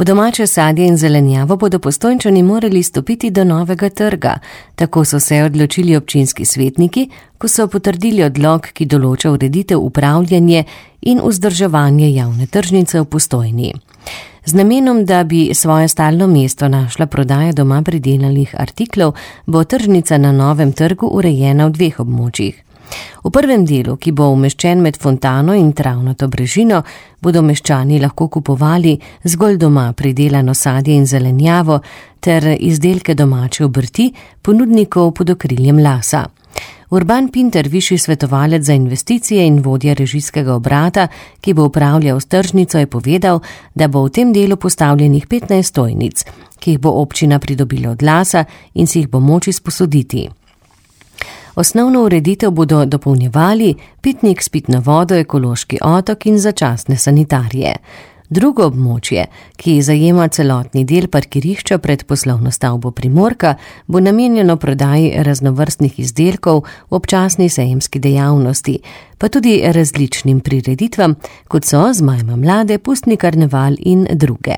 Po domače sadje in zelenjavo bodo Postojnčani morali stopiti do novega trga. Tako so se odločili občinski svetniki, ko so potrdili odlok, ki določa ureditev, upravljanje in vzdrževanje javne tržnice v Postojni. Z namenom, da bi svoje stalno mesto našla prodaja doma pridelanih artiklov, bo tržnica na novem trgu urejena v 2 območjih. V prvem delu, ki bo umeščen med fontano in travnato brežino, bodo meščani lahko kupovali zgolj doma pridelano sadje in zelenjavo ter izdelke domače obrti ponudnikov pod okriljem Lasa. Urban Pinter, višji svetovalec za investicije in vodja režijskega obrata, ki bo upravljal s tržnico, je povedal, da bo v tem delu postavljenih 15 stojnic, ki jih bo občina pridobila od Lasa in si jih bo moč izposoditi. Osnovno ureditev bodo dopolnjevali pitnik s pitno vodo, ekološki otok in začasne sanitarije. Drugo območje, ki zajema celotni del parkirišča pred poslovno stavbo Primorka, bo namenjeno prodaji raznovrstnih izdelkov v občasni sejemski dejavnosti, pa tudi različnim prireditvam, kot so Zmajma mlade, pustni karneval in druge.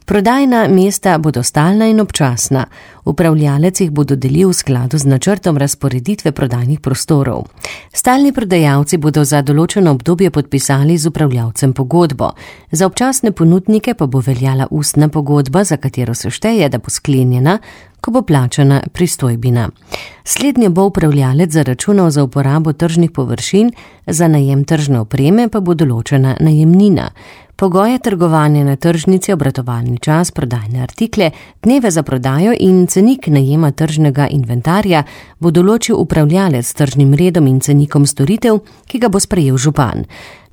Prodajna mesta bodo stalna in občasna. Upravljalec jih bo dodelil v skladu z načrtom razporeditve prodajnih prostorov. Stalni prodajalci bodo za določeno obdobje podpisali z upravljalcem pogodbo. Za občasne ponudnike pa bo veljala ustna pogodba, za katero se šteje, da bo sklenjena, ko bo plačana pristojbina. Slednje bo upravljalec zaračunal za uporabo tržnih površin, za najem tržne opreme pa bo določena najemnina. Pogoje trgovanja na tržnici, obratovalni čas, prodajne artikle, dneve za prodajo in cenik najema tržnega inventarja bo določil upravljalec s tržnim redom in cenikom storitev, ki ga bo sprejel župan.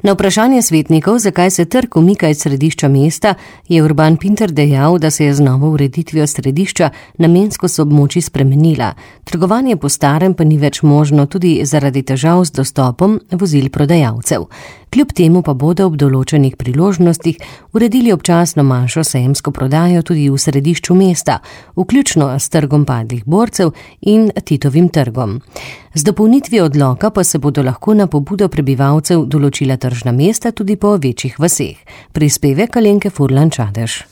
Na vprašanje svetnikov, zakaj se trg umika iz središča mesta, je Urban Pinter dejal, da se je z novo ureditvijo središča namenskost območij spremenila. Trgovanje po starem pa ni več možno tudi zaradi težav z dostopom vozil prodajalcev. Kljub temu pa bodo ob določenih priložnostih uredili občasno manjšo sejemsko prodajo tudi v središču mesta, vključno s trgom padlih borcev in Titovim trgom. Z dopolnitvijo odloka pa se bodo lahko na pobudo prebivalcev določila tržna mesta tudi po večjih vaseh. Prispevek Alenke Furlan Čadež.